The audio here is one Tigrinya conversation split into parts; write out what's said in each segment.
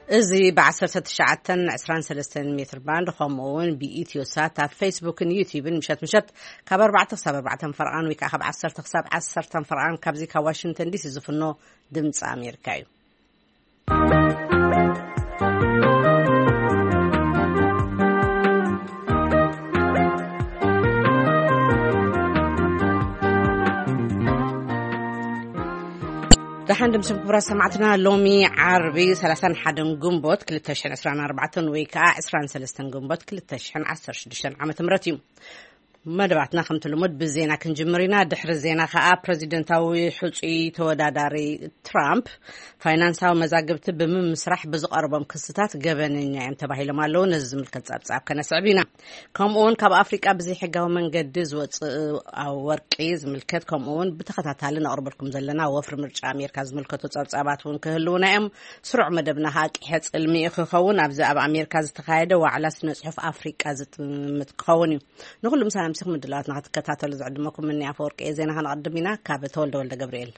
እዚ ብ1923 ሜትር ባንድ፣ ከምኡ እውን ብኢትዮ ሳት ኣብ ፌስቡክን ዩቲዩብን፣ ምሸት ምሸት ካብ ኣርባዕተ ክሳብ ኣርባዕተ ፈርቓን፣ ወይ ከዓ ካብ ዓሰርተ ክሳብ ዓሰርተ ፈርቓን፣ ካብዚ ካብ ዋሽንግተን ዲሲ ዝፍኖ ድምፂ ኣሜሪካ እዩ። ደሓን ድምስም ክቡራት ሰማዕትና፣ ሎሚ ዓርቢ 31 ግንቦት 2024 ወይ ከዓ 23 ግንቦት 2016 ዓመተ ምህረት እዩ። መደባትና ከምቲ ልሙድ ብዜና ክንጅምር ኢና። ድሕሪ ዜና ከዓ ፕሬዚደንታዊ ሕፁይ ተወዳዳሪ ትራምፕ ፋይናንሳዊ መዛግብቲ ብምምስራሕ ብዝቐርቦም ክስታት ገበነኛ እዮም ተባሂሎም ኣለዉ። ነዚ ዝምልከት ጸብጻብ ከነስዕብ ኢና። ከምኡ እውን ካብ ኣፍሪቃ ብዘይሕጋዊ መንገዲ ዝወፅእ ወርቂ ዝምልከት፣ ከምኡ እውን ብተኸታታሊ ነቕርበልኩም ዘለና ወፍሪ ምርጫ ኣሜሪካ ዝምልከቱ ጸብጻባት እውን ክህልውና እዮም። ስሩዕ መደብና ከዓ ቂሐ ጽልሚ ክኸውን ኣብዚ ኣብ ኣሜሪካ ዝተኻየደ ዋዕላ ስነ ጽሑፍ ኣፍሪቃ ዝጥምት ክኸውን እዩ። ንኹሉ ምሳና ምሲኹም ምድላዋትና ክትከታተሉ ዝዕድመኩም እኒ ኣፈወርቂ እየ። ዜና ከነቐድም ኢና። ካብ ተወልደ ወልደ ገብርኤል።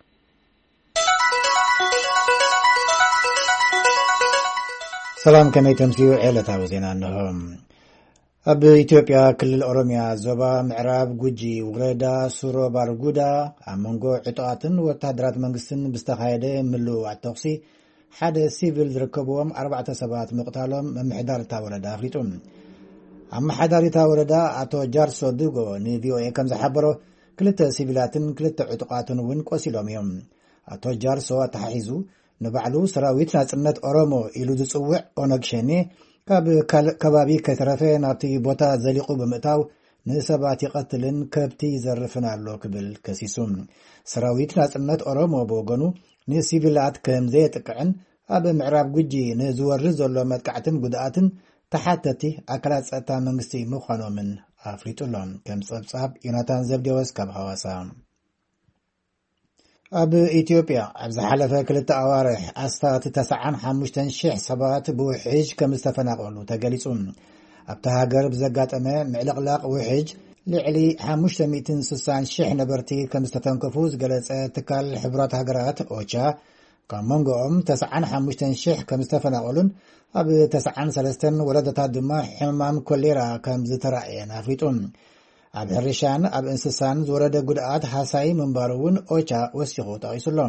ሰላም፣ ከመይ ተምስዩ? ዕለታዊ ዜና እንሆ። ኣብ ኢትዮጵያ ክልል ኦሮሚያ ዞባ ምዕራብ ጉጂ ወረዳ ሱሮ ባርጉዳ ኣብ መንጎ ዕጡቓትን ወታደራት መንግስትን ብዝተኻየደ ምልውዋጥ ተኹሲ ሓደ ሲቪል ዝርከብዎም ኣርባዕተ ሰባት ምቕታሎም ምምሕዳር እታ ወረዳ ኣፍሊጡ። ኣመሓዳሪ እታ ወረዳ ኣቶ ጃርሶ ድጎ ንቪኦኤ ከም ዝሓበሮ፣ ክልተ ሲቪላትን ክልተ ዕጡቓትን እውን ቆሲሎም እዮም። ኣቶ ጃርሶ ኣተሓሒዙ፣ ንባዕሉ ሰራዊት ናጽነት ኦሮሞ ኢሉ ዝጽውዕ ኦነግ ሸኔ ካብ ካልእ ከባቢ ከይተረፈ ናብቲ ቦታ ዘሊቑ ብምእታው ንሰባት ይቐትልን ከብቲ ይዘርፍን ኣሎ ክብል ከሲሱ። ሰራዊት ናጽነት ኦሮሞ ብወገኑ ንሲቪላት ከም ዘየጥቅዕን ኣብ ምዕራብ ጉጂ ንዝወርድ ዘሎ መጥቃዕትን ጉድኣትን ተሓተቲ ኣካላት ጸጥታ መንግስቲ ምዃኖምን ኣፍሊጡ ኣሎ። ከም ጸብጻብ ዮናታን ዘብዴዎስ ካብ ሃዋሳ። ኣብ ኢትዮጵያ ኣብ ዝሓለፈ ክልተ ኣዋርሕ ኣስታት 95,000 ሰባት ብውሕጅ ከም ዝተፈናቐሉ ተገሊጹ። ኣብታ ሃገር ብዘጋጠመ ምዕልቕላቕ ውሕጅ ልዕሊ 560,000 ነበርቲ ከም ዝተተንከፉ ዝገለጸ ትካል ሕቡራት ሃገራት ኦቻ፣ ካብ መንጎኦም 95,000 ከም ዝተፈናቐሉን ኣብ 93 ወረዳታት ድማ ሕማም ኮሌራ ከም ዝተራእየን ኣፍሊጡ። ኣብ ሕርሻን ኣብ እንስሳን ዝወረደ ጉድኣት ሃሳይ ምንባሩ እውን ኦቻ ወሲኹ ጠቒሱ ኣሎ።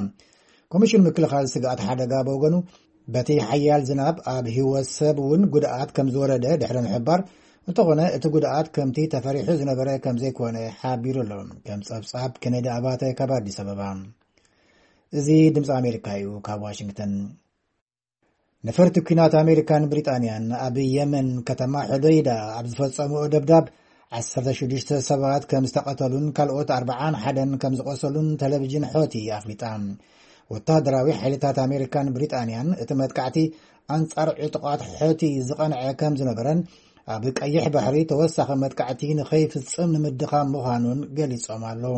ኮሚሽን ምክልኻል ስግኣት ሓደጋ ብወገኑ፣ በቲ ሓያል ዝናብ ኣብ ህይወት ሰብ እውን ጉድኣት ከም ዝወረደ ድሕሪ ምሕባር፣ እንተኾነ እቲ ጉድኣት ከምቲ ተፈሪሑ ዝነበረ ከም ዘይኮነ ሓቢሩ ኣሎ። ከም ጸብጻብ ኬኔዲ ኣባተ ካብ ኣዲስ ኣበባ። እዚ ድምፂ ኣሜሪካ እዩ። ካብ ዋሽንግተን። ነፈርቲ ኲናት ኣሜሪካን ብሪጣንያን ኣብ የመን ከተማ ሑደይዳ ኣብ ዝፈጸምኦ ደብዳብ 16 ሰባት ከም ዝተቐተሉን ካልኦት 41 ከም ዝቆሰሉን ቴሌቪዥን ሖቲ ኣፍሊጣ። ወታደራዊ ሓይልታት ኣሜሪካን ብሪጣንያን እቲ መጥቃዕቲ ኣንጻር ዕጡቓት ሖቲ ዝቐንዐ ከም ዝነበረን ኣብ ቀይሕ ባሕሪ ተወሳኺ መጥቃዕቲ ንኸይፍጽም ንምድኻም ምዃኑን ገሊጾም ኣለዉ።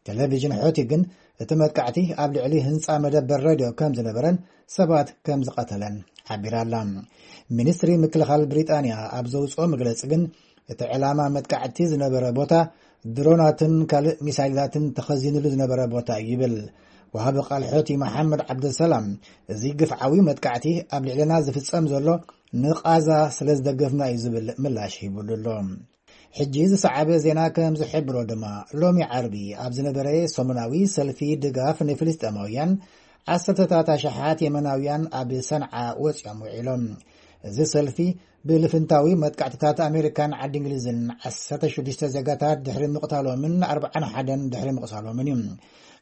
ቴሌቪዥን ሖቲ ግን እቲ መጥቃዕቲ ኣብ ልዕሊ ህንጻ መደበር ሬድዮ ከም ዝነበረን ሰባት ከም ዝቐተለን ሓቢራ ኣላ። ሚኒስትሪ ምክልኻል ብሪጣንያ ኣብ ዘውፅኦ መግለፂ ግን፣ እቲ ዕላማ መጥቃዕቲ ዝነበረ ቦታ ድሮናትን ካልእ ሚሳይላትን ተኸዚንሉ ዝነበረ ቦታ እዩ ይብል። ወሃቢ ቃል ሖቲ መሓመድ ዓብደሰላም፣ እዚ ግፍዓዊ መጥቃዕቲ ኣብ ልዕልና ዝፍጸም ዘሎ ንቓዛ ስለ ዝደገፍና እዩ ዝብል ምላሽ ሂቡሉ ኣሎ። ሕጂ ዝሰዓበ ዜና ከም ዝሕብሮ ድማ፣ ሎሚ ዓርቢ ኣብ ዝነበረ ሰሙናዊ ሰልፊ ድጋፍ ንፍልስጤማውያን፣ ዓሰርተታት ኣሽሓት የመናውያን ኣብ ሰንዓ ወጺኦም ውዒሎም። እዚ ሰልፊ ብልፍንታዊ መጥቃዕትታት ኣሜሪካን ዓዲ እንግሊዝን 16 ዜጋታት ድሕሪ ምቕታሎምን 41 ድሕሪ ምቕሳሎምን እዩ።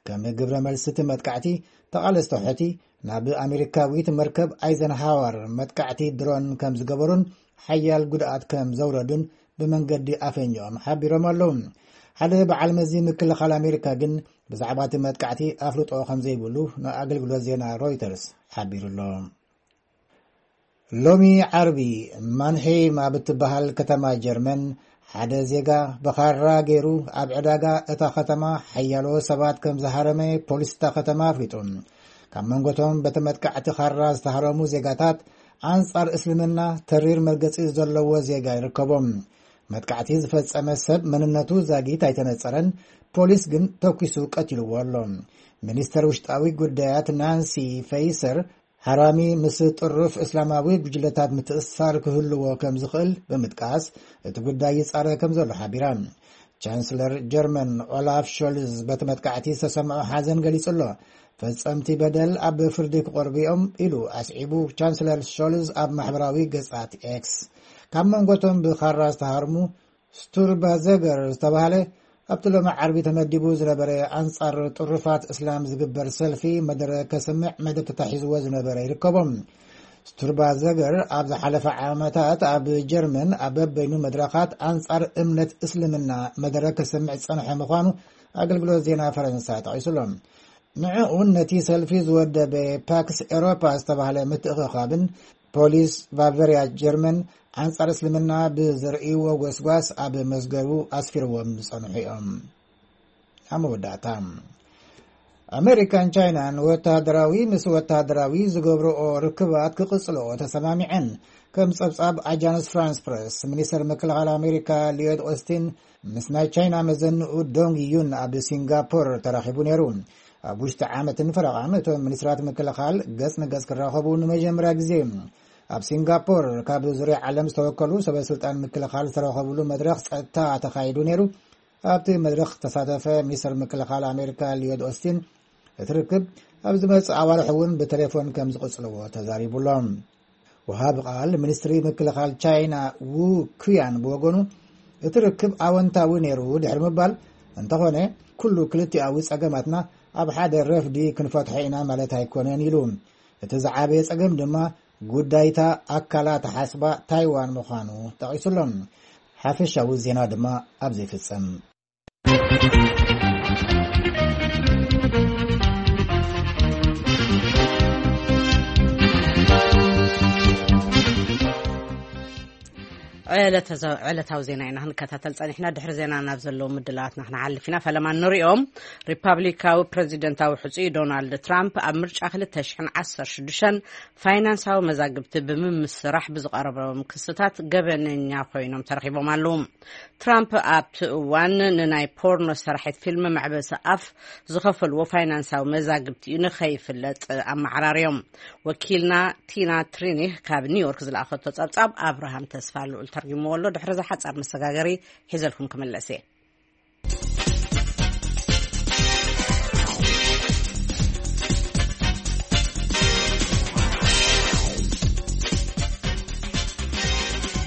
ከም ግብረ መልሲ እቲ መጥቃዕቲ፣ ተቓለስቲ ሖቲ ናብ ኣሜሪካዊት መርከብ ኣይዘንሃወር መጥቃዕቲ ድሮን ከም ዝገበሩን ሓያል ጉድኣት ከም ዘውረዱን ብመንገዲ ኣፈኛኦም ሓቢሮም ኣለዉ። ሓደ በዓል መዚ ምክልኻል ኣሜሪካ ግን ብዛዕባ እቲ መጥቃዕቲ ኣፍልጦ ከም ዘይብሉ ንኣገልግሎት ዜና ሮይተርስ ሓቢሩ ኣሎ። ሎሚ ዓርቢ ማንሄይም ኣብ እትበሃል ከተማ ጀርመን ሓደ ዜጋ ብኻራ ገይሩ ኣብ ዕዳጋ እታ ከተማ ሓያሎ ሰባት ከም ዝሃረመ ፖሊስ እታ ከተማ ኣፍሊጡ። ካብ መንጎቶም በቲ መጥቃዕቲ ኻራ ዝተሃረሙ ዜጋታት ኣንጻር እስልምና ተሪር መርገጺ ዘለዎ ዜጋ ይርከቦም። መጥቃዕቲ ዝፈጸመ ሰብ መንነቱ ዛጊት ኣይተነጸረን፣ ፖሊስ ግን ተኲሱ ቀቲልዎ ኣሎ። ሚኒስተር ውሽጣዊ ጉዳያት ናንሲ ፈይሰር ሓራሚ ምስ ጥሩፍ እስላማዊ ጉጅለታት ምትእስሳር ክህልዎ ከም ዝኽእል ብምጥቃስ፣ እቲ ጉዳይ ይጻረ ከም ዘሎ ሓቢራ። ቻንስለር ጀርመን ኦላፍ ሾልዝ በቲ መጥቃዕቲ ዝተሰምዖ ሓዘን ገሊጹ ኣሎ። ፈጸምቲ በደል ኣብ ፍርዲ ክቐርቡ እዮም ኢሉ ኣስዒቡ። ቻንስለር ሾልዝ ኣብ ማሕበራዊ ገጻት ኤክስ፣ ካብ መንጎቶም ብኻራ ዝተሃርሙ ስቱርባዘገር ዝተባህለ ኣብቲ ሎሚ ዓርቢ ተመዲቡ ዝነበረ ኣንጻር ጥሩፋት እስላም ዝግበር ሰልፊ መደረ ከስምዕ መደብ ተታሒዝዎ ዝነበረ ይርከቦም። ስቱርባዘገር ኣብ ዝሓለፈ ዓመታት ኣብ ጀርመን ኣብ በበይኑ መድረኻት ኣንጻር እምነት እስልምና መደረ ከስምዕ ዝጸንሐ ምዃኑ ኣገልግሎት ዜና ፈረንሳ ጠቒሱሎም። ንዕኡን ነቲ ሰልፊ ዝወደበ ፓክስ ኤሮፓ ዝተባህለ ምትእኽኻብን ፖሊስ ባቨርያ ጀርመን ኣንጻር እስልምና ብዘርእይዎ ጎስጓስ ኣብ መዝገቡ ኣስፊርዎም ዝጸንሑ እዮም። ኣብ መወዳእታ፣ ኣሜሪካን ቻይናን ወተሃደራዊ ምስ ወተሃደራዊ ዝገብርኦ ርክባት ክቕጽልኦ ተሰማሚዐን። ከም ጸብጻብ ኣጃንስ ፍራንስ ፕረስ፣ ሚኒስተር ምክልኻል ኣሜሪካ ሊዮድ ኦስቲን ምስ ናይ ቻይና መዘንኡ ዶንግ ዩን ኣብ ሲንጋፖር ተራኺቡ ነይሩ። ኣብ ውሽጢ ዓመትን ፈረቓን እቶም ሚኒስትራት ምክልኻል ገጽ ንገጽ ክራኸቡ ንመጀመርያ ግዜ። ኣብ ሲንጋፖር ካብ ዙርያ ዓለም ዝተወከሉ ሰበ ስልጣን ምክልኻል ዝተረኸብሉ መድረኽ ጸጥታ ተኻይዱ ነይሩ። ኣብቲ መድረኽ ዝተሳተፈ ሚኒስተር ምክልኻል ኣሜሪካ ሊዮድ ኦስቲን፣ እቲ ርክብ ኣብ ዝመጽእ ኣዋርሕ እውን ብቴሌፎን ከም ዝቕጽልዎ ተዛሪቡሎም። ወሃቢ ቃል ሚኒስትሪ ምክልኻል ቻይና ዉ ኩያን ብወገኑ፣ እቲ ርክብ ኣወንታዊ ነይሩ ድሕሪ ምባል፣ እንተኾነ ኩሉ ክልቲኣዊ ጸገማትና ኣብ ሓደ ረፍዲ ክንፈትሖ ኢና ማለት ኣይኮነን ኢሉ። እቲ ዝዓበየ ጸገም ድማ ጉዳይታ ኣካላ ተሓስባ ታይዋን ምዃኑ ጠቒሱሎም። ሓፈሻዊ ዜና ድማ ኣብዚ ይፍጸም። ዕለተ-፣ ዕለታዊ ዜና ኢና ክንከታተል ጸኒሕና። ድሕሪ ዜና ናብ ዘለዉ ምድላዋትና ክንሓልፍ ኢና። ፈለማ ንሪኦም። ሪፓብሊካዊ ፕረዚደንታዊ ሕጹይ ዶናልድ ትራምፕ ኣብ ምርጫ ክልተ ሽሕን ዓሰርተ ሽዱሽተን ፋይናንሳዊ መዛግብቲ ብምምስራሕ ብዝቐረቦም ክስታት ገበነኛ ኮይኖም ተረኺቦም ኣለዉ። ትራምፕ ኣብቲ እዋን ንናይ ፖርኖ ሰራሒት ፊልም መዕበሲ ኣፍ ዝኸፈልዎ ፋይናንሳዊ መዛግብቲ እዩ ንኸይፍለጥ ኣመዓራርዮም። ወኪልና ቲና ትሪኒህ ካብ ኒውዮርክ ዝለኣኸቶ ጸብጻብ ኣብርሃም ተስፋ ልዑል ተርጉምዎ ኣሎ። ድሕሪ እዚ ሓጻር መሰጋገሪ ሒዘልኩም ክምለስ እየ።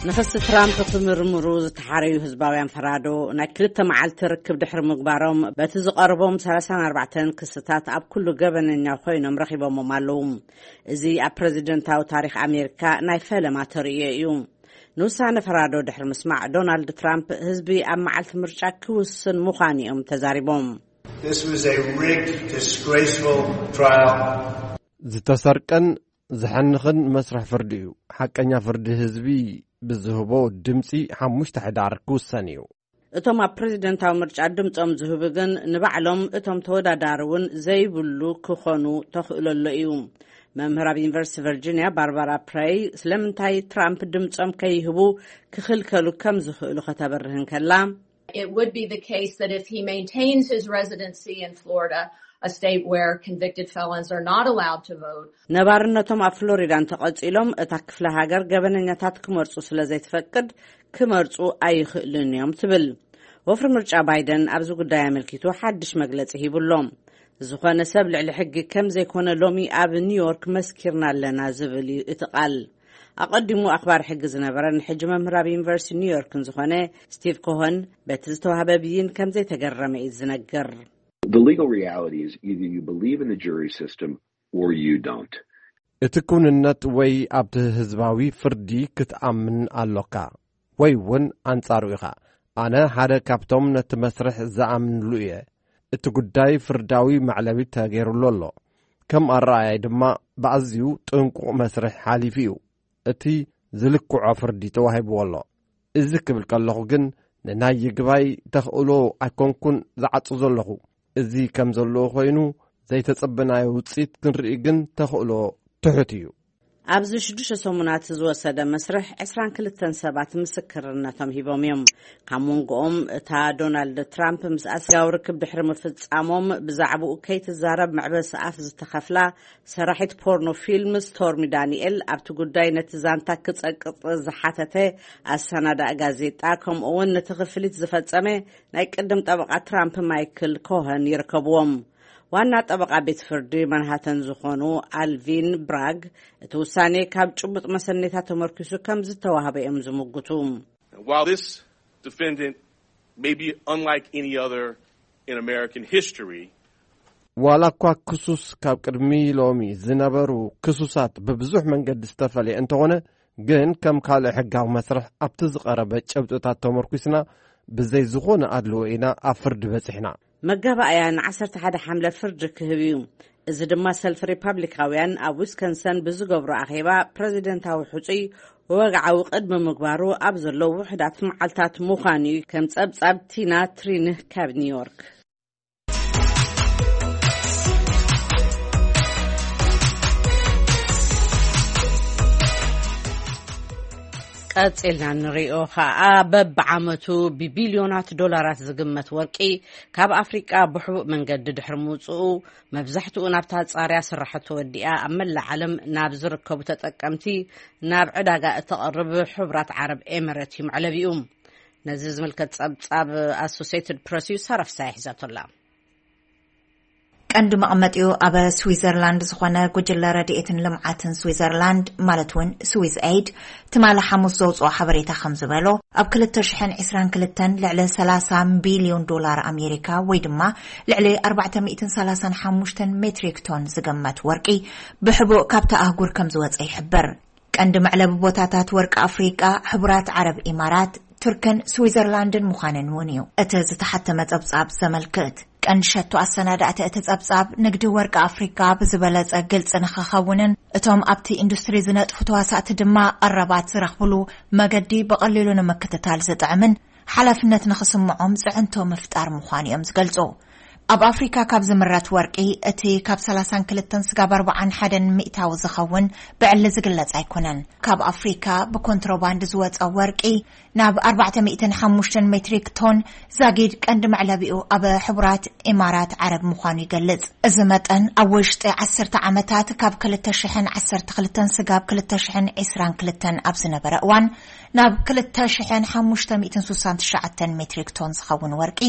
ንክሲ ትራምፕ ክምርምሩ ዝተሓረዩ ህዝባውያን ፈራዶ፣ ናይ ክልተ መዓልቲ ርክብ ድሕሪ ምግባሮም፣ በቲ ዝቐርቦም ሰላሳን ኣርባዕተን ክስታት ኣብ ኩሉ ገበነኛ ኮይኖም ረኺቦሞም ኣለዉ። እዚ ኣብ ፕረዚደንታዊ ታሪኽ ኣሜሪካ ናይ ፈለማ ተርእዮ እዩ። ንውሳነ ፈራዶ ድሕሪ ምስማዕ፣ ዶናልድ ትራምፕ ህዝቢ ኣብ መዓልቲ ምርጫ ክውስን ምዃኑ እዮም ተዛሪቦም። This was a rigged, disgraceful trial. ዝተሰርቀን ዘሐንኽን መስርሕ ፍርዲ እዩ። ሓቀኛ ፍርዲ ህዝቢ ብዝህቦ ድምፂ ሓሙሽተ ሕዳር ክውሰን እዩ። እቶም ኣብ ፕረዚደንታዊ ምርጫ ድምፆም ዝህቡ ግን ንባዕሎም እቶም ተወዳዳሪ እውን ዘይብሉ ክኾኑ ተኽእሎ ኣሎ እዩ። መምህር ኣብ ዩኒቨርሲቲ ቨርጂኒያ ባርባራ ፕሬይ ስለምንታይ ትራምፕ ድምፆም ከይህቡ ክኽልከሉ ከም ዝኽእሉ ከተብርህ እንከላ፣ It would be the case that if he maintains his residency in Florida, a state where convicted felons are not allowed to vote, ነባርነቶም ኣብ ፍሎሪዳ እንተቐጺሎም፣ እታ ክፍለ ሃገር ገበነኛታት ክመርጹ ስለ ዘይትፈቅድ፣ ክመርጹ ኣይኽእሉን እዮም ትብል። ወፍሪ ምርጫ ባይደን ኣብዚ ጉዳይ ኣመልኪቱ ሓድሽ መግለጺ ሂቡ ኣሎ። ዝኾነ ሰብ ልዕሊ ሕጊ ከም ዘይኮነ ሎሚ ኣብ ኒውዮርክ መስኪርና ኣለና ዝብል እዩ እቲ ቃል። ኣቐዲሙ ኣኽባሪ ሕጊ ዝነበረን ሕጂ መምህር ኣብ ዩኒቨርሲቲ ኒውዮርክን ዝኾነ ስቲቭ ኮሆን፣ በቲ ዝተዋህበ ብይን ከም ዘይተገረመ እዩ ዝነግር። The legal reality is either you believe in the jury system or you don't. እቲ ክውንነት ወይ ኣብቲ ህዝባዊ ፍርዲ ክትኣምን ኣሎካ፣ ወይ እውን ኣንጻሩ ኢኻ። ኣነ ሓደ ካብቶም ነቲ መስርሕ ዝኣምንሉ እየ። እቲ ጉዳይ ፍርዳዊ መዕለቢ ተገይሩሉ ኣሎ። ከም ኣረኣእያይ ድማ ብኣዝዩ ጥንቁቕ መስርሕ ሓሊፉ እዩ። እቲ ዝልክዖ ፍርዲ ተዋሂብዎ ኣሎ። እዚ ክብል ከለኹ ግን ንናይ ይግባይ ተኽእሎ ኣይኮንኩን ዝዓጹ ዘለኹ። እዚ ከም ዘለዎ ኮይኑ ዘይተጸበናዮ ውጽኢት ክንርኢ ግን ተኽእሎ ትሑት እዩ። ኣብዚ ሽዱሽተ ሰሙናት ዝወሰደ መስርሕ ዕስራን ክልተን ሰባት ምስክርነቶም ሂቦም እዮም። ካብ መንጎኦም እታ ዶናልድ ትራምፕ ምስ ኣስጋው ርክብ ድሕሪ ምፍጻሞም ብዛዕባኡ ከይትዛረብ መዕበሲ ኣፍ ዝተኸፍላ ሰራሒት ፖርኖ ፊልም ስቶርሚ ዳንኤል፣ ኣብቲ ጉዳይ ነቲ ዛንታ ክጸቅጥ ዝሓተተ ኣሰናዳእ ጋዜጣ፣ ከምኡ እውን ነቲ ክፍሊት ዝፈጸመ ናይ ቅድም ጠበቓ ትራምፕ ማይክል ኮኸን ይርከብዎም። ዋና ጠበቓ ቤት ፍርዲ ማንሃተን ዝኾኑ ኣልቪን ብራግ፣ እቲ ውሳኔ ካብ ጭቡጥ መሰነይታ ተመርኪሱ ከም ዝተዋህበ እዮም ዝምጉቱ። While this defendant may be unlike any other in American history, ዋላ እኳ ክሱስ ካብ ቅድሚ ሎሚ ዝነበሩ ክሱሳት ብብዙሕ መንገዲ ዝተፈለየ እንተኾነ፣ ግን ከም ካልእ ሕጋዊ መስርሕ ኣብቲ ዝቐረበ ጭብጥታት ተመርኩስና፣ ብዘይ ዝኾነ ኣድልዎ ኢና ኣብ ፍርዲ በጺሕና። መጋባእያ ን ዓሰርተ ሓደ ሓምለ ፍርዲ ክህብ እዩ። እዚ ድማ ሰልፊ ሪፓብሊካውያን ኣብ ዊስኮንሰን ብዝገብሮ ኣኼባ ፕረዚደንታዊ ሕጹይ ወግዓዊ ቅድሚ ምግባሩ ኣብ ዘለዉ ውሑዳት መዓልታት ምዃኑ እዩ፣ ከም ጸብጻብ ቲና ትሪንህ ካብ ኒውዮርክ። ቀጺልና ንሪኦ ኸኣ፣ በብዓመቱ ብቢልዮናት ዶላራት ዝግመት ወርቂ ካብ ኣፍሪቃ ብሕቡእ መንገዲ ድሕሪ ምውጽኡ፣ መብዛሕትኡ ናብታ ጻርያ ስራሕቱ ወዲኣ ኣብ መላእ ዓለም ናብ ዝርከቡ ተጠቀምቲ ናብ ዕዳጋ እተቕርብ ሕቡራት ዓረብ ኤመረት እዩ መዕለቢኡ። ነዚ ዝምልከት ጸብጻብ ኣሶሴትድ ፕረስ እዩ፣ ሳራ ፍሳሐ ሒዛቶላ። ቀንዲ መቐመጢኡ ኣብ ስዊዘርላንድ ዝኾነ ጉጅለ ረድኤትን ልምዓትን ስዊዘርላንድ፣ ማለት እውን ስዊዝ ኤይድ፣ ትማሊ ሓሙስ ዘውፅኦ ሓበሬታ ከም ዝበሎ፣ ኣብ ክልተ ሽሕን ዕስራን ክልተን ልዕሊ ሰላሳ ቢልዮን ዶላር ኣሜሪካ፣ ወይ ድማ ልዕሊ ኣርባዕተ ሚእትን ሰላሳን ሓሙሽተን ሜትሪክ ቶን ዝግመት ወርቂ ብሕቡእ ካብታ ኣህጉር ከም ዝወፀ ይሕበር። ቀንዲ መዕለቢ ቦታታት ወርቂ ኣፍሪቃ፣ ሕቡራት ዓረብ ኢማራት፣ ቱርክን ስዊዘርላንድን ምዃነን እውን እዩ እቲ ዝተሓተመ ጸብጻብ ዘመልክት። ቀንዲ ሸቶ ኣሰናዳእቲ እቲ ጸብጻብ፣ ንግዲ ወርቂ ኣፍሪቃ ብዝበለጸ ግልጺ ንኽኸውንን እቶም ኣብቲ ኢንዱስትሪ ዝነጥፉ ተዋሳእቲ ድማ ቀረባት ዝረኽብሉ መገዲ ብቐሊሉ ንምክትታል ዝጥዕምን ሓላፍነት ንኽስምዖም ጽዕንቶ ምፍጣር ምዃኑ እዮም ዝገልጹ። ኣብ ኣፍሪካ ካብ ዝምረት ወርቂ፣ እቲ ካብ ሰላሳን ክልተን ስጋብ ኣርባዓን ሓደን ሚእታዊ ዝኸውን ብዕሊ ዝግለጽ ኣይኮነን። ካብ ኣፍሪካ ብኮንትሮባንድ ዝወጸ ወርቂ ናብ ኣርባዕተ ሚእትን ሓሙሽተን ሜትሪክ ቶን ዛጊድ፣ ቀንዲ መዕለቢኡ ኣብ ሕቡራት ኢማራት ዓረብ ምዃኑ ይገልጽ። እዚ መጠን ኣብ ውሽጢ ዓሰርተ ዓመታት፣ ካብ ክልተ ሽሕን ዓሰርተ ክልተን ስጋብ ክልተ ሽሕን ዕስራን ክልተን ኣብ ዝነበረ እዋን፣ ናብ ክልተ ሽሕን ሓሙሽተ ሚእትን ስሳን ትሽዓተን ሜትሪክ ቶን ዝኸውን ወርቂ፣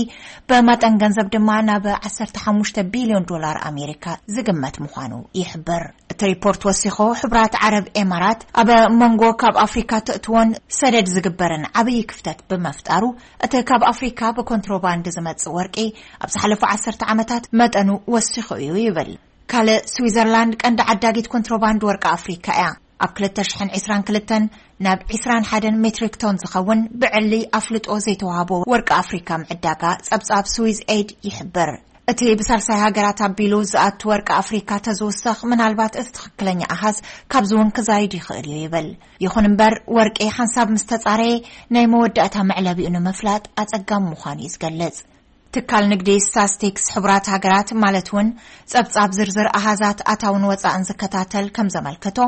ብመጠን ገንዘብ ድማ ናብ ዓሰርተ ሓሙሽተ ቢልዮን ዶላር ኣሜሪካ ዝግመት ምዃኑ ይሕብር። እቲ ሪፖርት ወሲኹ፣ ሕቡራት ዓረብ ኤማራት ኣብ መንጎ ካብ ኣፍሪካ ትእትዎን ሰደድ ዝግበርን ዓብዪ ክፍተት ብምፍጣሩ፣ እቲ ካብ ኣፍሪካ ብኮንትሮባንድ ዝመጽእ ወርቂ ኣብ ዝሓለፉ ዓሰርተ ዓመታት መጠኑ ወሲኹ እዩ ይብል። ካልእ፣ ስዊዘርላንድ ቀንዲ ዓዳጊት ኮንትሮባንድ ወርቂ ኣፍሪካ እያ። ኣብ ክልተ ሽሕን ዕስራን ክልተን ናብ ዕስራን ሓደን ሜትሪክ ቶን ዝኸውን ብዕሊ ኣፍልጦ ዘይተዋህቦ ወርቂ ኣፍሪካ ምዕዳጋ ጸብጻብ ስዊዝ ኤይድ ይሕብር። እቲ ብሳልሳይ ሃገራት ኣቢሉ ዝኣቱ ወርቂ ኣፍሪካ ተዝውሰኽ፣ ምናልባት እቲ ትኽክለኛ ኣሃዝ ካብዚ እውን ክዛይድ ይኽእል እዩ ይብል። ይኹን እምበር፣ ወርቂ ሓንሳብ ምስ ተጻረየ፣ ናይ መወዳእታ መዕለቢኡ ንምፍላጥ ኣጸጋሚ ምዃኑ እዩ ዝገልጽ። ትካል ንግዲ ስታስቲክስ ሕቡራት ሃገራት፣ ማለት እውን ጸብጻብ ዝርዝር ኣሃዛት ኣታውን ወጻእን ዝከታተል ከም ዘመልከቶ፣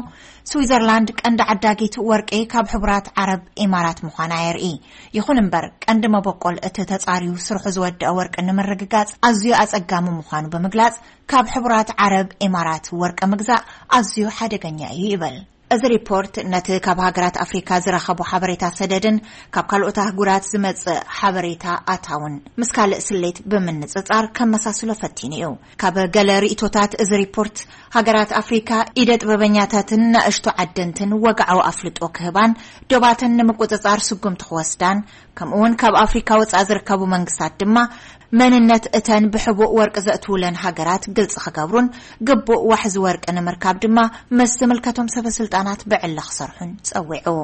ስዊዘርላንድ ቀንዲ ዓዳጊት ወርቂ ካብ ሕቡራት ዓረብ ኢማራት ምዃና የርኢ። ይኹን እምበር፣ ቀንዲ መበቆል እቲ ተጻርዩ ስርሑ ዝወደአ ወርቂ ንምርግጋጽ ኣዝዩ ኣጸጋሚ ምዃኑ ብምግላጽ፣ ካብ ሕቡራት ዓረብ ኢማራት ወርቂ ምግዛእ ኣዝዩ ሓደገኛ እዩ ይብል። እዚ ሪፖርት ነቲ ካብ ሃገራት ኣፍሪካ ዝረኸቦ ሓበሬታ ሰደድን ካብ ካልኦት ኣህጉራት ዝመጽእ ሓበሬታ ኣታውን ምስ ካልእ ስሌት ብምንጽጻር ከመሳስሎ ፈቲኑ እዩ። ካብ ገለ ርእይቶታት እዚ ሪፖርት፣ ሃገራት ኣፍሪካ ኢደ ጥበበኛታትን ናእሽቱ ዓደንትን ወግዓዊ ኣፍልጦ ክህባን ዶባተን ንምቁጽጻር ስጉምቲ ክወስዳን፣ ከምኡውን ካብ ኣፍሪካ ወጻኢ ዝርከቡ መንግስታት ድማ መንነት እተን ብሕቡእ ወርቂ ዘእትውለን ሃገራት ግልጺ ክገብሩን፣ ግቡእ ዋሕዚ ወርቂ ንምርካብ ድማ ምስ ዝምልከቶም ሰበ ስልጣናት ብዕሊ ክሰርሑን ጸዊዑ።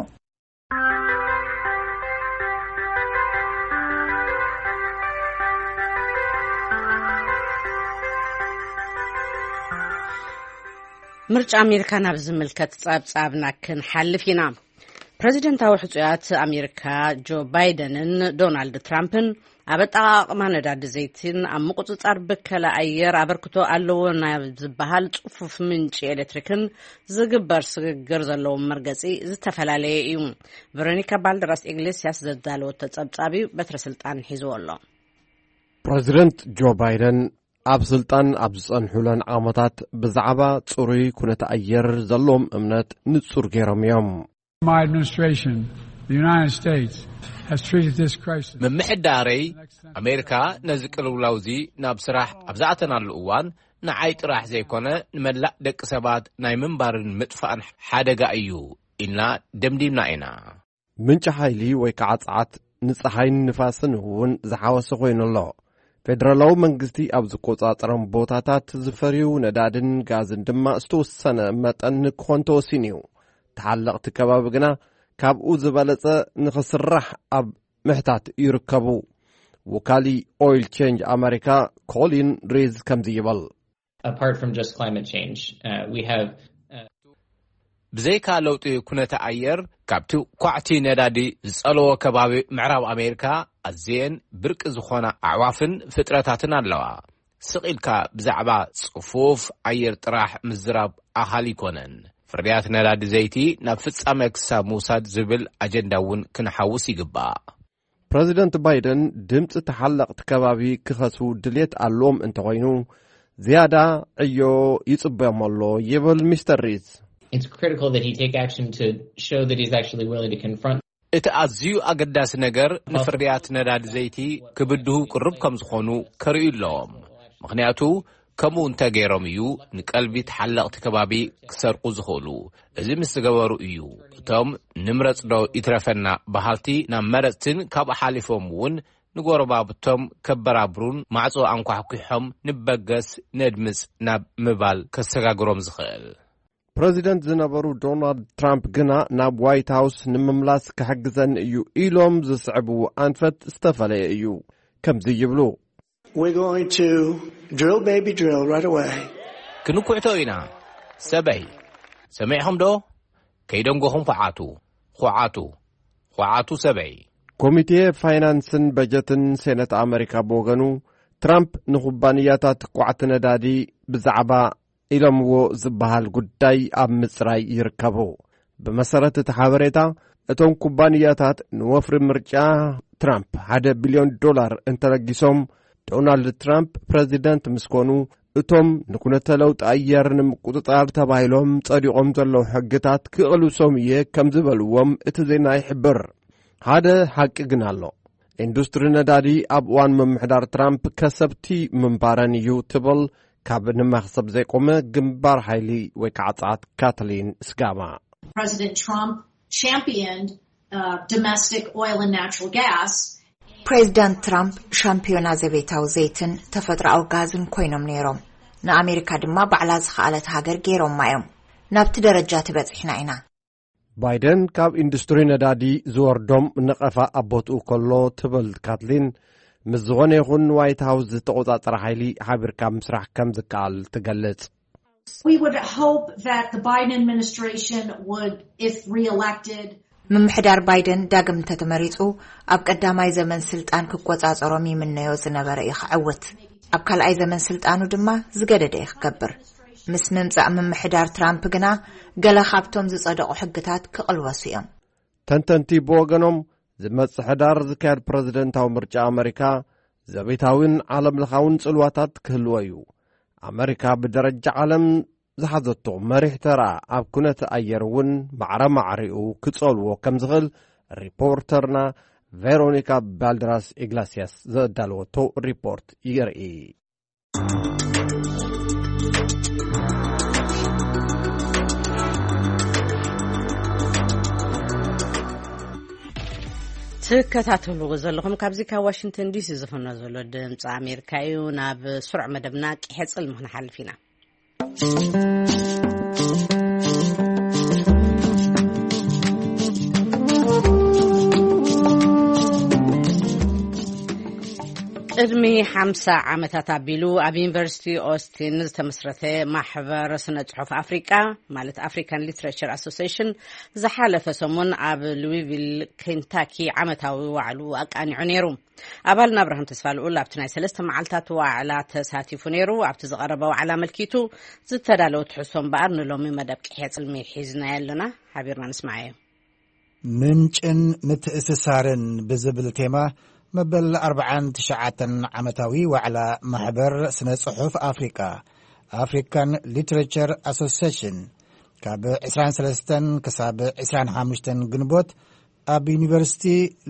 ምርጫ ኣሜሪካ ናብ ዝምልከት ጸብጻብና ክንሓልፍ ኢና። ፕረዚደንታዊ ሕጹያት ኣሜሪካ ጆ ባይደንን ዶናልድ ትራምፕን ኣብ ኣጠቓቕማ ነዳዲ ዘይትን ኣብ ምቁጽጻር ብከላ ኣየር ኣበርክቶ ኣለዎ ናብ ዝበሃል ጽፉፍ ምንጪ ኤሌክትሪክን ዝግበር ስግግር ዘለዎም መርገጺ ዝተፈላለየ እዩ። ቨሮኒካ ባልደራስ ኢግሌስያስ ዘዳለወቶ ጸብጻብ እዩ፣ በትረ ስልጣን ሒዝዎ ኣሎ። ፕረዚደንት ጆ ባይደን ኣብ ስልጣን ኣብ ዝጸንሑለን ዓመታት ብዛዕባ ጽሩይ ኩነተ ኣየር ዘለዎም እምነት ንጹር ገይሮም እዮም። My administration, the United States, has treated this crisis. ምምሕዳረይ ኣሜሪካ ነዚ ቅልውላው እዚ ናብ ስራሕ ኣብ ዝኣተናሉ እዋን ንዓይ ጥራሕ ዘይኮነ ንመላእ ደቂ ሰባት ናይ ምንባርን ምጥፋእን ሓደጋ እዩ ኢልና ደምዲምና ኢና። ምንጪ ሓይሊ ወይ ከዓ ጸዓት ንጸሓይን ንፋስን እውን ዝሓወሰ ኮይኑ ኣሎ። ፌደራላዊ መንግስቲ ኣብ ዝቆጻጸሮም ቦታታት ዝፈርዩ ነዳድን ጋዝን ድማ ዝተወሰነ መጠን ንክኾን ተወሲኑ እዩ። ተሓለቕቲ ከባቢ ግና ካብኡ ዝበለጸ ንኽስራሕ ኣብ ምሕታት ይርከቡ። ወካሊ ኦይል ቼንጅ ኣመሪካ ኮሊን ሪዝ ከምዚ ይብል። Apart from just climate change, uh, we have, uh, ብዘይካ ለውጢ ኩነተ ኣየር፣ ካብቲ ኳዕቲ ነዳዲ ዝጸለዎ ከባቢ ምዕራብ ኣሜሪካ ኣዝየን ብርቂ ዝኾና ኣዕዋፍን ፍጥረታትን ኣለዋ። ስቕ ኢልካ ብዛዕባ ጽፉፍ ኣየር ጥራሕ ምዝራብ ኣኻሊ ኣይኮነን። ፍርያት ነዳዲ ዘይቲ ናብ ፍጻመ ክሳብ ምውሳድ ዝብል ኣጀንዳ እውን ክንሓውስ ይግባእ። ፕረዚደንት ባይደን ድምፂ ተሓለቕቲ ከባቢ ክኸስቡ ድልየት ኣለዎም እንተኾይኑ፣ ዝያዳ ዕዮ ይጽበዮም ኣሎ ይብል ሚስተር ሪዝ። It's critical that he take action to show that he's actually willing to confront እቲ ኣዝዩ ኣገዳሲ ነገር ንፍርያት ነዳዲ ዘይቲ ክብድሁ ቅርብ ከም ዝኾኑ ከርእዩ ኣለዎም። ምኽንያቱ ከምኡ እንተገይሮም እዩ ንቀልቢ ተሓለቕቲ ከባቢ ክሰርቁ ዝኽእሉ። እዚ ምስ ዝገበሩ እዩ እቶም ንምረጽ ዶ ይትረፈና በሃልቲ ናብ መረጽትን ካብኡ ሓሊፎም እውን ንጎረባብቶም ከበራብሩን ማዕጾ ኣንኳሕኲሖም ንበገስ ነድምጽ ናብ ምባል ከሰጋግሮም ዝኽእል። ፕረዚደንት ዝነበሩ ዶናልድ ትራምፕ ግና ናብ ዋይት ሃውስ ንምምላስ ክሕግዘኒ እዩ ኢሎም ዝስዕብዎ ኣንፈት ዝተፈለየ እዩ። ከምዚ ይብሉ። We're going to drill, baby, drill right away. ክንኩዕቶ ኢና ሰበይ። ሰሚዕኹም ዶ? ከይደንጎኹም ኩዓቱ፣ ኩዓቱ፣ ኩዓቱ ሰበይ። ኮሚቴ ፋይናንስን በጀትን ሴነት ኣመሪካ ብወገኑ፣ ትራምፕ ንኩባንያታት ኳዕቲ ነዳዲ ብዛዕባ ኢሎምዎ ዝበሃል ጉዳይ ኣብ ምጽራይ ይርከቡ። ብመሰረት እቲ ሓበሬታ፣ እቶም ኩባንያታት ንወፍሪ ምርጫ ትራምፕ ሓደ ቢልዮን ዶላር እንተለጊሶም፣ ዶናልድ ትራምፕ ፕረዚደንት ምስ ኮኑ፣ እቶም ንኩነተ ለውጢ ኣየር ንምቁጽጻር ተባሂሎም ጸዲቖም ዘለዉ ሕግታት ክቕልብሶም እየ ከም ዝበልዎም እቲ ዜና ይሕብር። ሓደ ሓቂ ግን ኣሎ። ኢንዱስትሪ ነዳዲ ኣብ እዋን ምምሕዳር ትራምፕ ከሰብቲ ምንባረን እዩ ትብል ካብ ንመኽሰብ ዘይቆመ ግንባር ሓይሊ ወይ ከዓ ጸዓት ካትሊን ስጋማ። President Trump championed, uh, domestic oil and natural gas. ፕሬዚዳንት ትራምፕ ሻምፒዮና ዘቤታዊ ዘይትን ተፈጥሮኣዊ ጋዝን ኮይኖም ነይሮም። ንኣሜሪካ ድማ ባዕላ ዝኸኣለት ሃገር ገይሮማ እዮም። ናብቲ ደረጃ ተበጺሕና ኢና። ባይደን ካብ ኢንዱስትሪ ነዳዲ ዝወርዶም ነቐፋ ኣብ ቦትኡ ከሎ ትብል ካትሊን፣ ምስ ዝኾነ ይኹን ዋይት ሃውስ ዝተቖጻጸረ ሓይሊ ሓቢርካ ምስራሕ ከም ዝከኣል ትገልጽ። We would hope that the Biden administration would, if reelected, ምምሕዳር ባይደን ዳግም እንተተመሪጹ ኣብ ቀዳማይ ዘመን ስልጣን ክቆጻጸሮም ይምነዮ ዝነበረ እዩ ክዕውት። ኣብ ካልኣይ ዘመን ስልጣኑ ድማ ዝገደደ እዩ ክገብር። ምስ ምምጻእ ምምሕዳር ትራምፕ ግና ገለ ካብቶም ዝጸደቑ ሕግታት ክቕልበሱ እዮም። ተንተንቲ ብወገኖም፣ ዝመጽእ ሕዳር ዝካየድ ፕረዚደንታዊ ምርጫ ኣመሪካ ዘቤታዊን ዓለምለኻውን ጽልዋታት ክህልዎ እዩ። ኣመሪካ ብደረጃ ዓለም ዝሓዘቶ መሪሕ ተራ ኣብ ኩነተ ኣየር እውን ማዕረ ማዕሪኡ ክጸልዎ ከም ዝኽእል ሪፖርተርና ቬሮኒካ ባልደራስ ኢግላስያስ ዘዳለወቶ ሪፖርት የርኢ። ትከታተልዎ ዘለኹም ካብዚ ካብ ዋሽንግተን ዲሲ ዝፍኖ ዘሎ ድምፂ ኣሜሪካ እዩ። ናብ ስሩዕ መደብና ቂሐ ጽልሚ ክንሓልፍ ኢና። ቅድሚ ሓምሳ ዓመታት ኣቢሉ ኣብ ዩኒቨርሲቲ ኦስቲን ዝተመስረተ ማሕበር ስነ ጽሑፍ ኣፍሪቃ፣ ማለት ኣፍሪካን ሊትሬቸር ኣሶሲሽን፣ ዝሓለፈ ሰሙን ኣብ ሉዊቪል ኬንታኪ ዓመታዊ ዋዕሉ ኣቃኒዑ ነይሩ። ኣባልና ኣብርሃም ተስፋ ልኡል ኣብቲ ናይ ሰለስተ መዓልታት ዋዕላ ተሳቲፉ ነይሩ። ኣብቲ ዝቐረበ ዋዕላ ኣመልኪቱ ዝተዳለወ ትሕዝቶ እምበኣር ንሎሚ መደብ ቅሕየ ጽልሚ ሒዝናዮ ኣለና። ሓቢርና ንስማዓዮ። ምንጭን ምትእስሳርን ብዝብል ቴማ መበል ኣርብዓን ትሽዓተን ዓመታዊ ዋዕላ ማሕበር ስነ ጽሑፍ ኣፍሪቃ፣ ኣፍሪካን ሊትሬቸር ኣሶሲሽን፣ ካብ ዕስራን ሰለስተን ክሳብ ዕስራን ሓሙሽተን ግንቦት ኣብ ዩኒቨርሲቲ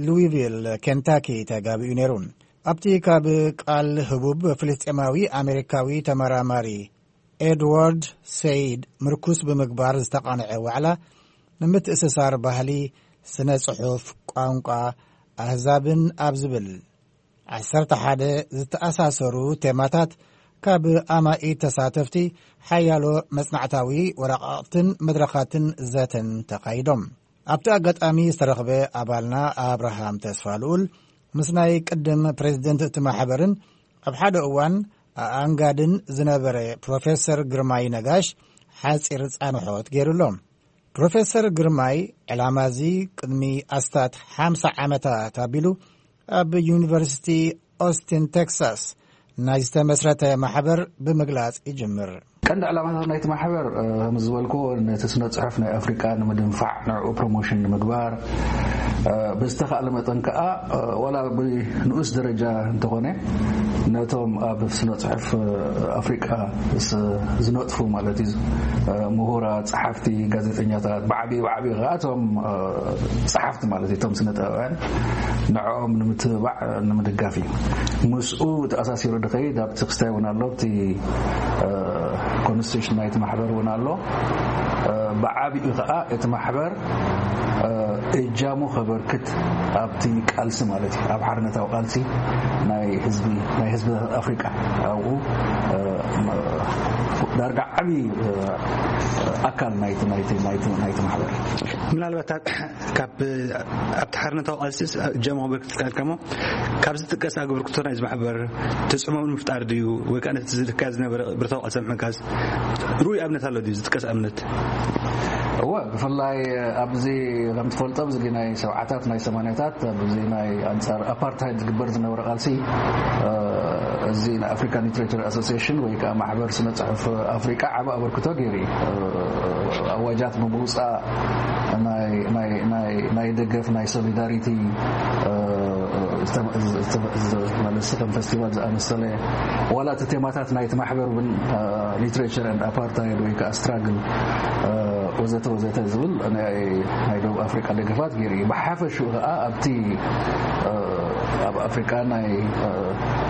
ሉዊቪል ኬንታኪ ተጋቢኡ ነይሩ። ኣብቲ ካብ ቃል ህቡብ ፍልስጤማዊ ኣሜሪካዊ ተመራማሪ ኤድዋርድ ሰይድ ምርኩስ ብምግባር ዝተቓንዐ ዋዕላ፣ ንምትእስሳር ባህሊ፣ ስነ ጽሑፍ፣ ቋንቋ፣ ኣህዛብን ኣብ ዝብል ዓሰርተ ሓደ ዝተኣሳሰሩ ቴማታት ካብ ኣማኢት ተሳተፍቲ ሓያሎ መጽናዕታዊ ወረቓቕትን መድረኻትን ዘተን ተኻይዶም። ኣብቲ ኣጋጣሚ ዝተረኽበ ኣባልና ኣብርሃም ተስፋ ልኡል ምስ ናይ ቅድም ፕሬዚደንት እቲ ማሕበርን ኣብ ሓደ እዋን ኣኣንጋድን ዝነበረ ፕሮፌሰር ግርማይ ነጋሽ ሓጺር ጻንሖት ገይሩሎም። ፕሮፌሰር ግርማይ ዕላማ እዚ ቅድሚ ኣስታት ሓምሳ ዓመታት ኣቢሉ ኣብ ዩኒቨርሲቲ ኦስቲን ቴክሳስ ናይ ዝተመስረተ ማሕበር ብምግላጽ ይጅምር። ቀንዲ ዕላማታት ናይቲ ማሕበር፣ እ፣ ከም ዝበልክዎ፣ ነቲ ስነ ጽሑፍ ናይ ኣፍሪቃ ንምድንፋዕ፣ ንዕኡ ፕሮሞሽን ንምግባር፣ እ፣ ብዝተኻእለ መጠን ከኣ፣ እ፣ ዋላ ብንኡስ ደረጃ እንተኾነ፣ ነቶም ኣብ ስነ ጽሑፍ፣ እ፣ ኣፍሪቃ ስ-፣ ዝነጥፉ ማለት እዩ፣ እ፣ ምሁራት፣ ጸሓፍቲ፣ ጋዜጠኛታት፣ ብዓቢ፣ ብዓቢ ከኣ እቶም፣ እ፣ ጸሓፍቲ ማለት እዩ፣ እቶም ስነ ጥበባውያን፣ ንዕኦም ንምትብባዕ፣ እ፣ ንምድጋፍ እዩ። ምስኡ ተኣሳሲሩ ድኸይድ ኣብቲ ክስታይ እውን ኣሎ፣ ኣብቲ፣ እ፣ ኮንስቲቱሽን ናይቲ ማሕበር እውን ኣሎ። እ፣ ብዓቢኡ ከኣ እቲ ማሕበር፣ እ፣ እጃሙ ከበርክት ኣብቲ ቃልሲ ማለት እዩ፣ ኣብ ሓርነታዊ ቃልሲ ናይ ህዝቢ፣ ናይ ህዝብታት ኣፍሪቃ ኣብኡ፣ እ፣ ዳርጋ ዓቢ፣ እ፣ ኣካል ናይቲ፣ ናይቲ፣ ናይቲ፣ ናይቲ ማሕበር። ምናልባት ካብ፣ ኣብቲ ሓርነታዊ ቃልሲ እጃሙ ከበርክት ካልካ እሞ፣ ካብ ዝጥቀስ ኣበርክቶ ናይዚ ማሕበር ተጽዕኖ ንምፍጣር ድዩ? ወይ ከኣ ነቲ ዝካየድ ዝነበረ ብረታዊ ቃልሲ ምሕጋዝ ርኡይ ኣብነት ኣሎ ድዩ? ዝጥቀስ ኣብነት? እወ፣ ብፍላይ ኣብዚ ከም ትፈልጦ፣ ኣብዚ ናይ ሰብዓታት፣ ናይ ሰማንያታት፣ ኣብዚ ናይ ኣንጻር ኣፓርታይድ ዝግበር ዝነበረ ቃልሲ፣ እ፣ እዚ ናይ ኣፍሪካን ሊትሬቸር ኣሶሲሽን ወይ ከኣ ማሕበር ስነ ጽሑፍ ኣፍሪቃ ዓቢ ኣበርክቶ ገይሩ እዩ። እ፣ ኣዋጃት ብምውጻእ፣ ናይ፣ ናይ፣ ናይ፣ ናይ ደገፍ፣ ናይ ሶሊዳሪቲ፣ እ፣ ዝተመ-፣ ዝተመ-፣ ማለት ከም ፈስቲቫል ዝኣመሰለ፣ ዋላ እቲ ቴማታት ናይቲ ማሕበር እውን፣ እ፣ ሊትሬቸር ኤንድ ኣፓርታይድ ወይ ከኣ ስትራግል፣ እ፣ ወዘተ ወዘተ ዝብል ናይ፣ ናይ ደቡብ ኣፍሪቃ ደገፋት ገይሩ እዩ። ብሓፈሽኡ ከኣ ኣብቲ፣ እ፣ ኣብ ኣፍሪቃ ናይ፣ እ፣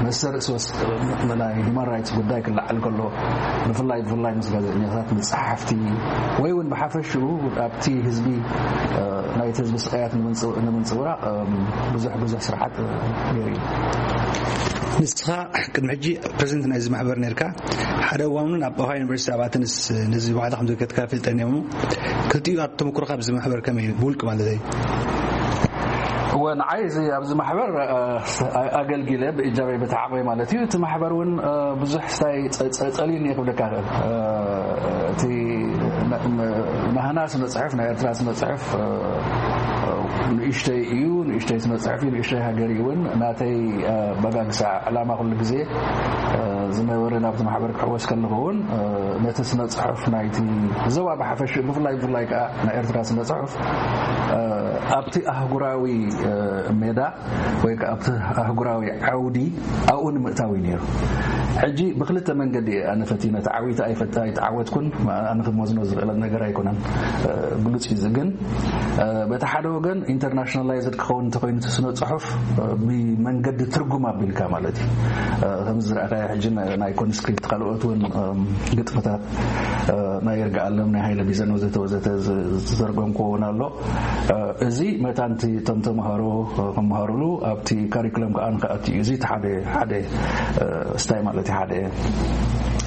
መሰል ርእሲ ወስ-፣ ናይ ሂማን ራይትስ ጉዳይ ክለዓል ከሎ፣ ብፍላይ፣ ብፍላይ ምስ ጋዜጠኛታት፣ ምስ ጸሓፍቲ፣ ወይ እውን ብሓፈሽኡ ኣብቲ ህዝቢ፣ እ፣ ናይቲ ህዝቢ ስቃያት ንምንጽ-፣ ንምንጽብራቕ፣ እም፣ ብዙሕ፣ ብዙሕ ስራሓት፣ እ፣ ገይሩ እዩ። ንስኻ ቅድሚ ሕጂ ፕሬዚደንት ናይዚ ማሕበር ነርካ፣ ሓደ እዋን እውን ኣብ ኦሃዮ ዩኒቨርሲቲ ኣብ ኣተንስ ነዚ ዋዕላ ከም ዘካየድካ ይፈልጠኒ እየ እሞ፣ ክልቲኡ ተመክሮኻ ኣብዚ ማሕበር ከመይ እዩ? ብውልቂ ማለት እዩ። እወ፣ ንዓይ እዚ ኣብዚ ማሕበር፣ እ፣ ኣገልጊለ ብእጃበይ በቲ ዓቕመይ ማለት እዩ። እቲ ማሕበር እውን፣ እ፣ ብዙሕ ስታይ ጸ-፣ ጸ-፣ ጸልዩኒ እየ ክብለካ እኽእል። እ፣ እቲ ና-፣ ም-፣ ናህና ስነ ጽሑፍ፣ ናይ ኤርትራ ስነ ጽሑፍ፣ እ፣ እ፣ ንእሽተይ እዩ፣ ንእሽተይ ስነ ጽሑፍ እዩ፣ ንእሽተይ ሃገር እዩ እውን። ናተይ፣ እ፣ በጋግሳ ዕላማ ኩሉ ግዜ፣ እ፣ ዝነበረ ናብቲ ማሕበር ክሕወስ ከለኹ እውን፣ እ፣ ነቲ ስነ ጽሑፍ ናይቲ ዞባ ብሓፈሽ፣ ብፍላይ፣ ብፍላይ ከኣ ናይ ኤርትራ ስነ ጽሑፍ፣ እ፣ ኣብቲ ኣህጉራዊ፣ እ፣ ሜዳ ወይ ከኣ ኣብቲ ኣህጉራዊ ዓውዲ ኣብኡ ንምእታው እዩ ነይሩ። ሕጂ ብክልተ መንገዲ እየ ኣነ ፈቲነ፣ ተዓዊተ ኣይፈ-፣ ኣይተዓወትኩን፣ ኣነ ክመዝኖ ዝኽእል ነገር ኣይኮነን። እ፣ ግሉጽ እዩ። እዚ ግን፣ እ፣ በቲ ሓደ ወገን ኢንተርናሽናላይዝድ ክኸውን እንተኾይኑ እቲ ስነ ጽሑፍ፣ እ፣ ብመንገዲ ትርጉም ኣቢልካ ማለት እዩ። እ፣ ከምዚ ዝረኣኻዮ ሕጂ ናይ፣ ናይ ኮንስክሪፕት ካልኦት እውን፣ እም፣ ግጥምታት፣ እ፣ ናይ ይርጋኣለም፣ ናይ ሃይለ ቢዘን ወዘተ ወዘተ ዝ-፣ ዝተርጎምክዎ እውን ኣሎ። እ፣ እዚ መታን እቲ እቶም ተምሃሮ፣ እ፣ ክምሃሩሉ ኣብቲ ካሪኩለም ከኣ ንክኣቱ እዩ። እዚ እቲ ሓደ፣ ሓደ፣ እ፣ ስታይ ማለት እዩ፣ ሓደ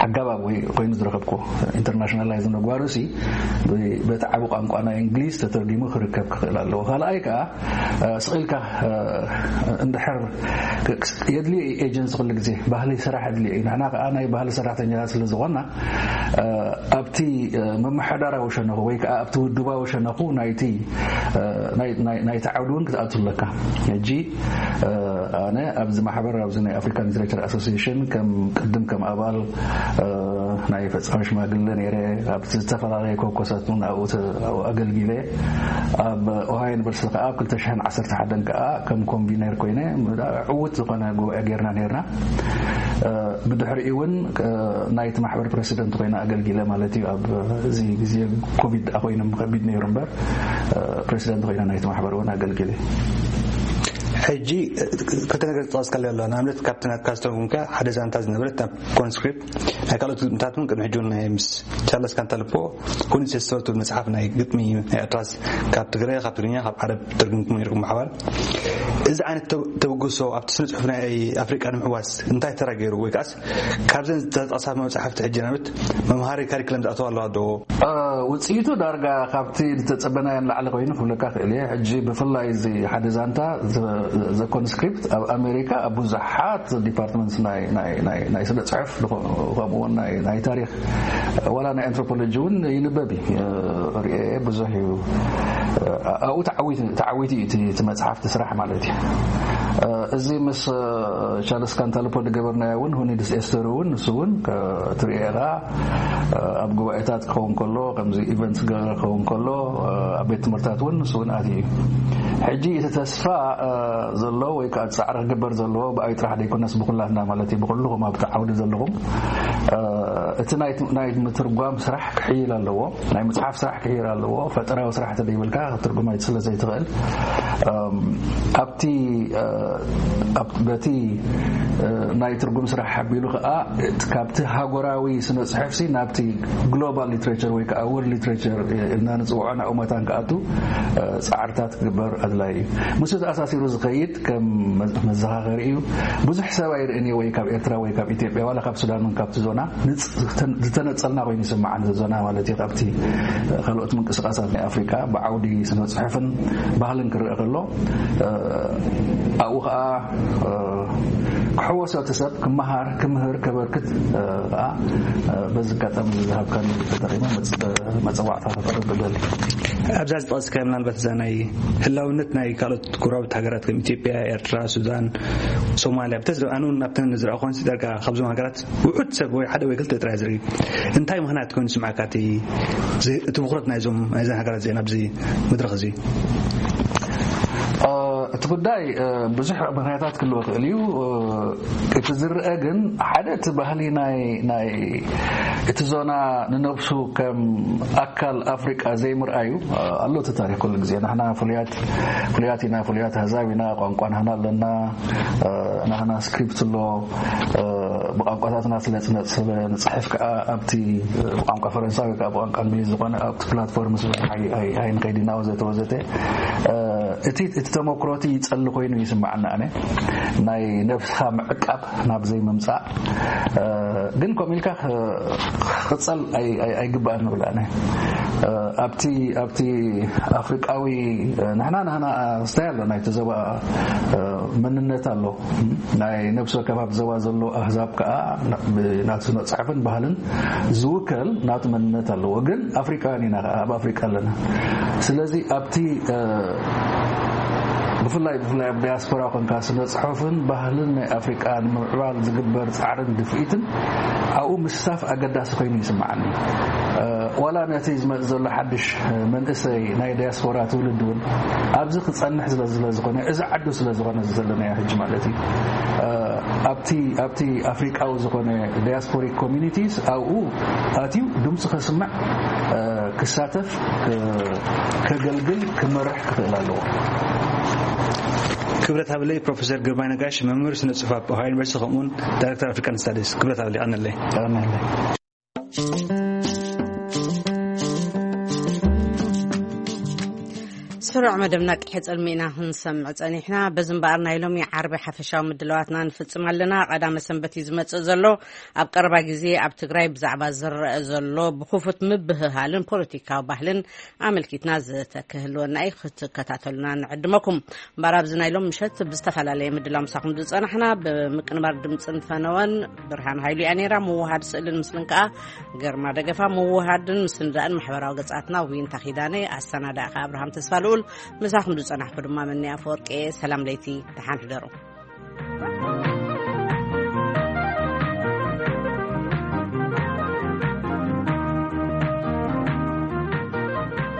ኣገባብ ወይ ኮይኑ ዝረኸብኩ ኢንተርናሽናላይዝ ምግባሩ ሲ በቲ ዓቢ ቋንቋ ናይ እንግሊዝ ተተርጊሙ ክርከብ ክኽእል ኣለዎ። ካልኣይ ከዓ ስቕ ኢልካ እንድሕር የድልዮ እዩ ኤጀንሲ ኩሉ ግዜ ባህሊ ስራሕ የድልዮ እዩ። ንሕና ከዓ ናይ ባህሊ ሰራሕተኛታት ስለ ዝኾንና ኣብቲ ምምሕዳራዊ ሸነኹ ወይ ከዓ ኣብቲ ውድባዊ ሸነኹ ናይቲ ናይቲ ዓውዲ እውን ክትኣቱ ኣለካ። ሕጂ ኣነ ኣብዚ ማሕበር ኣብዚ ናይ ኣፍሪካን ሊትሬቸር ኣሶሲሽን ከም ቅድም ከም ኣባል ናይ ፈፃሚ ሽማግለ ነይረ። ኣብ ዝተፈላለየ ኮኮሳት እውን ኣብኡ ኣገልጊለ። ኣብ ኦሃዮ ዩኒቨርሲቲ ከዓ ኣብ ክልተ ሽሕን ዓሰርተ ሓደን ከዓ ከም ኮንቪነር ኮይነ ዕውት ዝኾነ ጉባኤ ጌርና ነርና። ብድሕሪኡ እውን ናይቲ ማሕበር ፕሬሲደንት ኮይነ ኣገልጊለ ማለት እዩ። ኣብ እዚ ግዜ ኮቪድ ኮይኑ ከቢድ ነይሩ እምበር ፕሬሲደንት ኮይነ ናይቲ ማሕበር እውን ኣገልጊለ። ሕጂ ክልተ ነገር ዝጠቐስካለይ ኣሎ። ንኣብነት ካብቲ ናትካ ዝተረጉምካ ሓደ ዛንታ ዝነበረት ናብ ኮንስክሪፕት ናይ ካልኦት ግጥምታት እውን ቅድሚ ሕጂ እውን ናይ ምስ ቻርለስ ካንታልፖ ሁኒት ሴስቶር ትብል መፅሓፍ ናይ ግጥሚ ናይ ኤርትራስ ካብ ትግረ ካብ ትግርኛ ካብ ዓረብ ተርጉምኩም ነርኩም ብሓባር። እዚ ዓይነት ተበግሶ ኣብቲ ስነ ፅሑፍ ናይ ኣፍሪቃ ንምሕዋስ እንታይ ተራ ገይሩ ወይ ከዓስ ካብዘን ዝተጠቕሳ መፅሓፍቲ ሕጂ ናብት መምሃሪ ካሪክለም ዝኣተዋ ኣለዋ ዶ? ውፅኢቱ ዳርጋ ካብቲ ዝተፀበናዮ ንላዕሊ ኮይኑ ክብለካ ክእል እየ። ሕጂ ብፍላይ እዚ ሓደ ዛንታ ዘኮንስክሪፕት ኣብ ኣሜሪካ ኣብ ብዙሓት ዲፓርትመንትስ ናይ ስነ ፅሑፍ ከምኡውን ናይ ታሪክ ዋላ ናይ ኣንትሮፖሎጂ እውን ይንበብ እዩ። ሪኤ ብዙሕ እዩ። ኣብኡ ተዓዊቱ እዩ እቲ መፅሓፍቲ ስራሕ ማለት እዩ። እዚ ምስ ቻርልስ ካንታልፖ ዝገበርናዮ እውን ሁኒድስ ኤስተር እውን ንሱ እውን ትሪኤ ኢኻ ኣብ ጉባኤታት ክኸውን ከሎ ከምዚ ኢቨንትስ ገበረ ክኸውን ከሎ ኣብ ቤት ትምህርታት እውን ንሱ እውን ኣትዩ እዩ። ሕጂ እቲ ተስፋ ዘሎ ወይ ከዓ ፃዕሪ ክግበር ዘለዎ ብኣይ ጥራሕ ዘይኮነስ ብኩላትና ማለት እዩ ብኩልኹም ኣብቲ ዓውዲ ዘለኹም እቲ ናይ ምትርጓም ስራሕ ክሕይል ኣለዎ። ናይ ምፅሓፍ ስራሕ ክሕይል ኣለዎ። ፈጠራዊ ስራሕ ተደይብልካ ክትርጉም ስለ ዘይትኽእል ኣብቲ በቲ ናይ ትርጉም ስራሕ ሓቢሉ ከዓ ካብቲ ሃገራዊ ስነ ፅሑፍሲ ናብቲ ግሎባል ሊትሬቸር ወይ ከዓ ወርልድ ሊትሬቸር ኢልና ንፅውዖ ናብኡ መታን ክኣቱ ፃዕርታት ክግበር ኣድላይ እዩ። ምስ ተኣሳሲሩ ዝኸይድ ከም መዘኻኸሪ እዩ። ብዙሕ ሰብ ኣይርእን እዩ ወይ ካብ ኤርትራ ወይ ካብ ኢትዮጵያ ዋላ ካብ ሱዳን እውን ካብቲ ዞና ዝተነፀልና ኮይኑ ይስምዓኒ። ዞና ማለት እዩ ካብቲ ካልኦት ምንቅስቃሳት ናይ ኣፍሪካ ብዓውዲ ስነ ፅሑፍን ባህልን ክረአ ከሎ ኣብኡ ከዓ ክሕወሶ እቲ ሰብ ክመሃር ክምህር ከበርክት ከዓ በዚ ኣጋጣሚ ዝሃብካኒ ተጠቂመ መፀዋዕታ ከቅርብ እደሊ። ኣብዛ ዝጠቀስካ ምናልባት እዛ ናይ ህላውነት ናይ ካልኦት ጎረባብቲ ሃገራት ከም ኢትዮጵያ፣ ኤርትራ፣ ሱዳን፣ ሶማልያ ብተዝረ ኣነ እውን ኣብተን ዝረኣኹን ዳርጋ ካብዞም ሃገራት ውሑድ ሰብ ወይ ሓደ ወይ ክልተ ጥራይ ዝርኢ እንታይ ምኽንያት ኮይኑ ስምዓካ እቲ ትብኽረት ናይዞም ናይዘን ሃገራት እዚአን ኣብዚ መድረኽ እዚ? እቲ ጉዳይ ብዙሕ ምኽንያታት ክህልዎ ክእል እዩ። እቲ ዝረአ ግን ሓደ እቲ ባህሊ ናይ እቲ ዞና ንነብሱ ከም ኣካል ኣፍሪቃ ዘይምርኣዩ ኣሎ። እቲ ታሪክ ኩሉ ግዜ ንሕና ፍሉያት ፍሉያት ኢና፣ ፍሉያት ኣህዛብ ኢና፣ ቋንቋ ናህና ኣለና፣ ናህና ስክሪፕት ኣሎ። ብቋንቋታትና ስለ ንፅሕፍ ከዓ ኣብቲ ብቋንቋ ፈረንሳዊ ከዓ ብቋንቋ እንግሊዝ ዝኾነ ኣብቲ ፕላትፎርም ስለ ኣይንኸይድ ኢና ወዘተ ወዘተ። እቲ ተመክሮቲ ይፀሊ ኮይኑ ይስምዓና ኣነ ናይ ነብስኻ ምዕቃብ ናብ ዘይምምፃእ። ግን ከምኡ ኢልካ ክፀል ኣይግባእን ንብል ኣነ ኣብቲ ኣብቲ ኣፍሪቃዊ ንሕና ንሕና ስታይ ኣሎ ናይቲ ዞባ መንነት ኣሎ። ናይ ነብሲ ወከፍ ኣብ ዞባ ዘሎ ኣህዛብ ከዓ ናቲ ስነፅሕፍን ባህልን ዝውከል ናቲ መንነት ኣለዎ። ግን ኣፍሪቃውያን ኢና ኣብ ኣፍሪቃ ኣለና። ስለዚ ኣብቲ ብፍላይ ብፍላይ ኣብ ዳያስፖራ ኮንካ ስነ ፅሑፍን ባህልን ናይ ኣፍሪቃ ንምምዕባል ዝግበር ፃዕርን ድፍኢትን ኣብኡ ምስታፍ ኣገዳሲ ኮይኑ ይስምዓኒ። ዋላ ነቲ ዝመፅእ ዘሎ ሓድሽ መንእሰይ ናይ ዳያስፖራ ትውልድ እውን ኣብዚ ክፀንሕ ስለ ዝኾነ እዚ ዓዱ ስለ ዝኾነ ዘለናዮ ሕጂ ማለት እዩ ኣብቲ ኣብቲ ኣፍሪቃዊ ዝኾነ ዳያስፖሪክ ኮሚኒቲስ ኣብኡ ኣትዩ ድምፁ ከስምዕ ክሳተፍ ከገልግል ክመርሕ ክኽእል ኣለዎ። ክብረት ሃብለይ ፕሮፌሰር ግርማይ ነጋሽ መምህር ስነ ጽሑፍ ኣብ ኦሃዮ ዩኒቨርሲቲ ከምኡውን ዳይሬክተር ኣፍሪካን ስታዲስ ክብረት ሃብለይ ቀነለይ። ስሩዕ መደብና ቅድሒ ጸልሚና ክንሰምዕ ጸኒሕና። በዚ እምበኣር ናይ ሎሚ ዓርቢ ሓፈሻዊ ምድላዋትና ንፍጽም ኣለና። ቀዳመ ሰንበት እዩ ዝመጽእ ዘሎ። ኣብ ቀረባ ግዜ ኣብ ትግራይ ብዛዕባ ዝረአ ዘሎ ብኽፉት ምብህሃልን ፖለቲካዊ ባህልን ኣመልኪትና ዘተ ክህልወና እዩ። ክትከታተሉና ንዕድመኩም። እምበኣር ኣብዚ ናይ ሎም ምሸት ብዝተፈላለየ ምድላው ምሳኹም ዝጸናሕና፣ ብምቅንባር ድምፅን ፈነወን ብርሃን ሃይሉ እያ ነይራ። ምውሃድ ስእልን ምስልን ከኣ ግርማ ደገፋ፣ ምውሃድን ምስንዳእን ማሕበራዊ ገጻትና ዊንታ ኪዳነ፣ ኣሰናዳእካ ኣብርሃም ተስፋ ልኡል፣ ምሳኹም ዝጸናሕኩ ድማ መኒ ኣፈወርቂ። ሰላም ለይቲ፣ ደሓን ሕደሩ።